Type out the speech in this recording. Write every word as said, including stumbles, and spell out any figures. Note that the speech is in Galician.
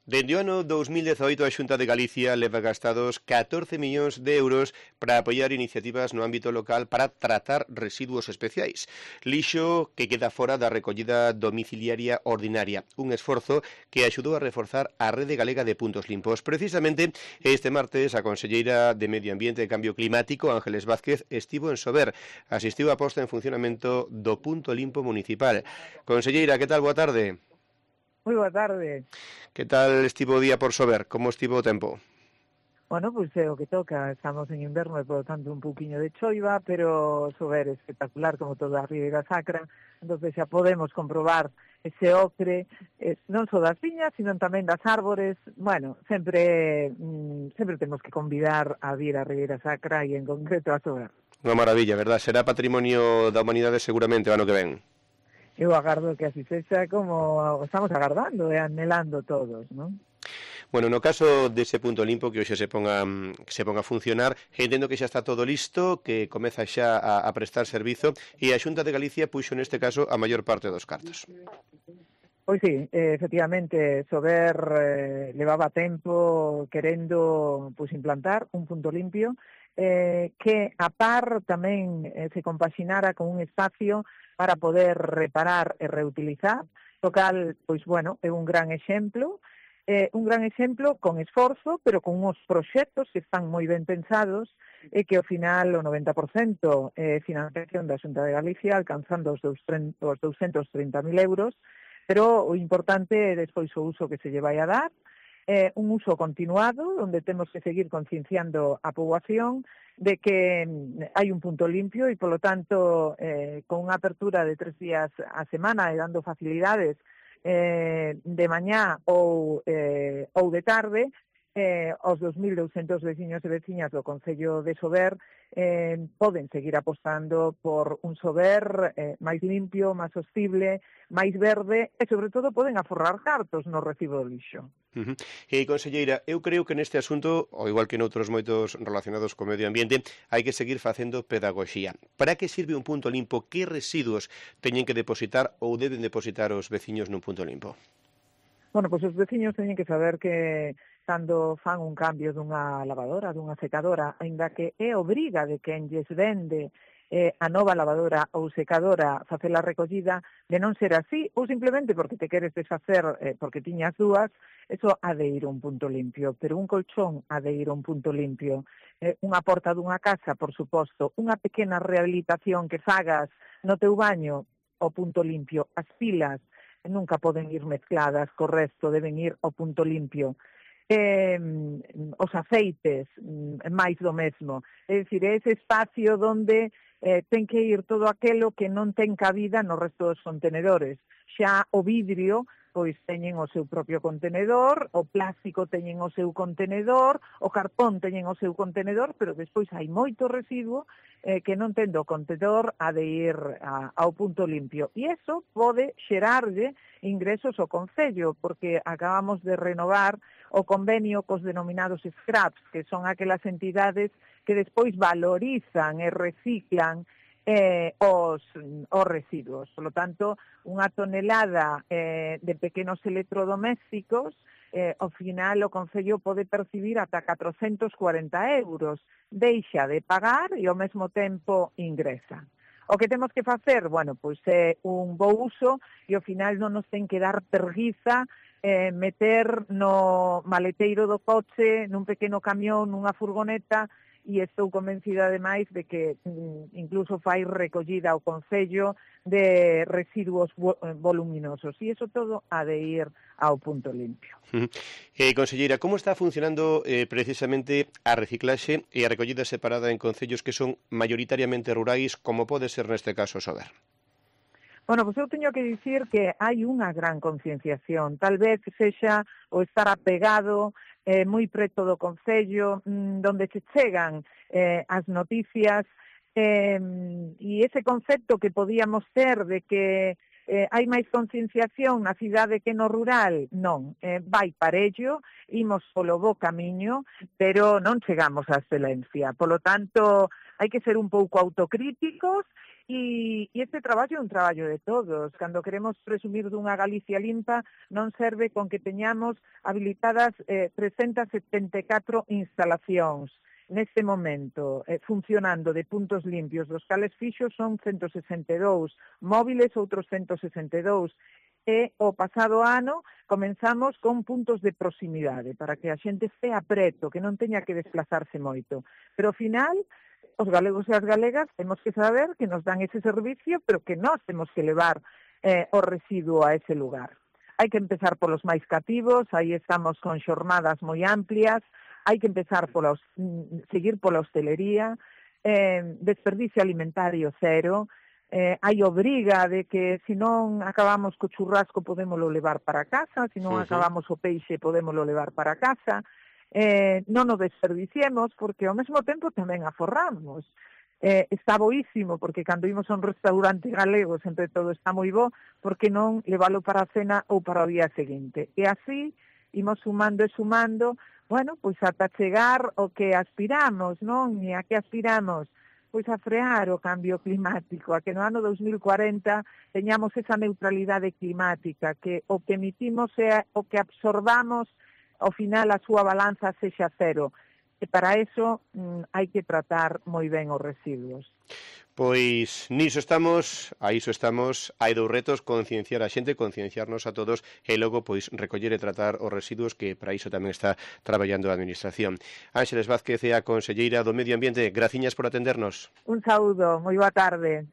Dende o ano dous mil dezaoito a Xunta de Galicia leva gastados catorce millóns de euros para apoiar iniciativas no ámbito local para tratar residuos especiais. Lixo que queda fora da recollida domiciliaria ordinaria, un esforzo que axudou a reforzar a rede galega de puntos limpos. Precisamente este martes a conselleira de Medio Ambiente e Cambio Climático, Ángeles Vázquez, estivo en Sober, asistiu á posta en funcionamento do punto limpo municipal. Conselleira, que tal? Boa tarde. Moi boa tarde. Que tal estivo o día por Sober? Como estivo o tempo? Bueno, pois pues, é o que toca, estamos en inverno e, por tanto, un pouquiño de choiva, pero Sober é espectacular, como toda a Ribeira Sacra, entón xa podemos comprobar ese ocre, eh, non só das viñas, sino tamén das árbores. Bueno, sempre mm, sempre temos que convidar a vir a Ribeira Sacra e, en concreto, a Sober. Unha maravilla, verdad? Será patrimonio da humanidade seguramente o ano que ven. Eu agardo que así sexa como estamos agardando e anhelando todos, non? Bueno, no caso dese punto limpo que hoxe se ponga que se ponga a funcionar, entendo que xa está todo listo, que comeza xa a, a prestar servizo e a Xunta de Galicia puxo neste caso a maior parte dos cartos. Pois sí, eh, efectivamente, Sober eh, levaba tempo querendo pues, implantar un punto limpio eh, que a par tamén eh, se compaxinara con un espacio para poder reparar e reutilizar, o cal, pois bueno, é un gran exemplo, eh, un gran exemplo con esforzo, pero con uns proxectos que están moi ben pensados e que ao final o noventa por cento é financiación da Xunta de Galicia, alcanzando os douscentos trinta mil euros, pero o importante é despois o uso que se lle vai a dar, eh, un uso continuado, onde temos que seguir concienciando a poboación de que hai un punto limpio e, polo tanto, eh, con unha apertura de tres días a semana e dando facilidades eh, de mañá ou, eh, ou de tarde, eh, os dos mil douscentos veciños e veciñas do Concello de Sober eh, poden seguir apostando por un Sober eh, máis limpio, máis sostible, máis verde e, sobre todo, poden aforrar cartos no recibo do lixo. Uh -huh. E, conselleira, eu creo que neste asunto, ao igual que noutros moitos relacionados co medio ambiente, hai que seguir facendo pedagogía. Para que sirve un punto limpo? Que residuos teñen que depositar ou deben depositar os veciños nun punto limpo? Bueno, pois os veciños teñen que saber que cando fan un cambio dunha lavadora, dunha secadora, aínda que é obriga de quen lles vende eh, a nova lavadora ou secadora facer a recollida, de non ser así, ou simplemente porque te queres desfacer eh, porque tiñas dúas, eso ha de ir a un punto limpio, pero un colchón ha de ir a un punto limpio, eh, unha porta dunha casa, por suposto, unha pequena rehabilitación que fagas no teu baño, ao punto limpio, as pilas, nunca poden ir mezcladas co resto, deben ir ao punto limpio. Eh, os aceites, máis do mesmo. É dicir, é ese espacio onde eh, ten que ir todo aquelo que non ten cabida no resto dos contenedores. Xa o vidrio, pois teñen o seu propio contenedor, o plástico teñen o seu contenedor, o cartón teñen o seu contenedor, pero despois hai moito residuo eh, que non tendo o contenedor ha de ir a, ao punto limpio. E iso pode xerarlle ingresos ao Concello, porque acabamos de renovar o convenio cos denominados scraps, que son aquelas entidades que despois valorizan e reciclan eh, os, os residuos. Por lo tanto, unha tonelada eh, de pequenos electrodomésticos, eh, ao final o Concello pode percibir ata catrocentos cuarenta euros. Deixa de pagar e ao mesmo tempo ingresa. O que temos que facer, bueno, pois é un bo uso e ao final non nos ten que dar perguiza eh, meter no maleteiro do coche, nun pequeno camión, nunha furgoneta, e estou convencida ademais de que mm, incluso fai recollida ao Concello de residuos voluminosos, e iso todo ha de ir ao punto limpio. Eh, conselleira, como está funcionando eh, precisamente a reciclaxe e a recollida separada en concellos que son maioritariamente rurais, como pode ser neste caso Sober? Bueno, pois eu teño que dicir que hai unha gran concienciación, tal vez sexa o estar apegado eh, moi preto do Concello, mmm, donde se chegan eh, as noticias, eh, e ese concepto que podíamos ter de que eh, hai máis concienciación na cidade que no rural, non, eh, vai parello, imos polo bo camiño, pero non chegamos á excelencia. Polo tanto, hai que ser un pouco autocríticos E, e este traballo é un traballo de todos. Cando queremos presumir dunha Galicia limpa, non serve con que teñamos habilitadas eh, trescentas setenta e catro instalacións neste momento, eh, funcionando de puntos limpios, dos cales fixos son ciento sesenta e dous, móviles outros ciento sesenta e dous, e o pasado ano comenzamos con puntos de proximidade, para que a xente estea preto, que non teña que desplazarse moito. Pero ao final, os galegos e as galegas temos que saber que nos dan ese servicio, pero que nós temos que levar eh, o residuo a ese lugar. Hai que empezar polos máis cativos, aí estamos con xornadas moi amplias, hai que empezar pola, seguir pola hostelería, eh, desperdicio alimentario cero, eh, hai obriga de que se non acabamos co churrasco podémolo levar para casa, se non uh -huh. acabamos o peixe podémolo levar para casa, Eh, non o desperdiciemos porque ao mesmo tempo tamén aforramos. Eh, está boísimo porque cando imos a un restaurante galego sempre todo está moi bo, porque non levalo para a cena ou para o día seguinte. E así imos sumando e sumando, bueno, pois ata chegar o que aspiramos, non? E a que aspiramos? Pois a frear o cambio climático, a que no ano dos mil cuarenta teñamos esa neutralidade climática, que o que emitimos é o que absorbamos ao final a súa balanza sexa cero. E para eso mm, hai que tratar moi ben os residuos. Pois niso estamos, a iso estamos, hai dous retos, concienciar a xente, concienciarnos a todos e logo pois recoller e tratar os residuos, que para iso tamén está traballando a Administración. Ánxeles Vázquez é a conselleira do Medio Ambiente, graciñas por atendernos. Un saúdo, moi boa tarde.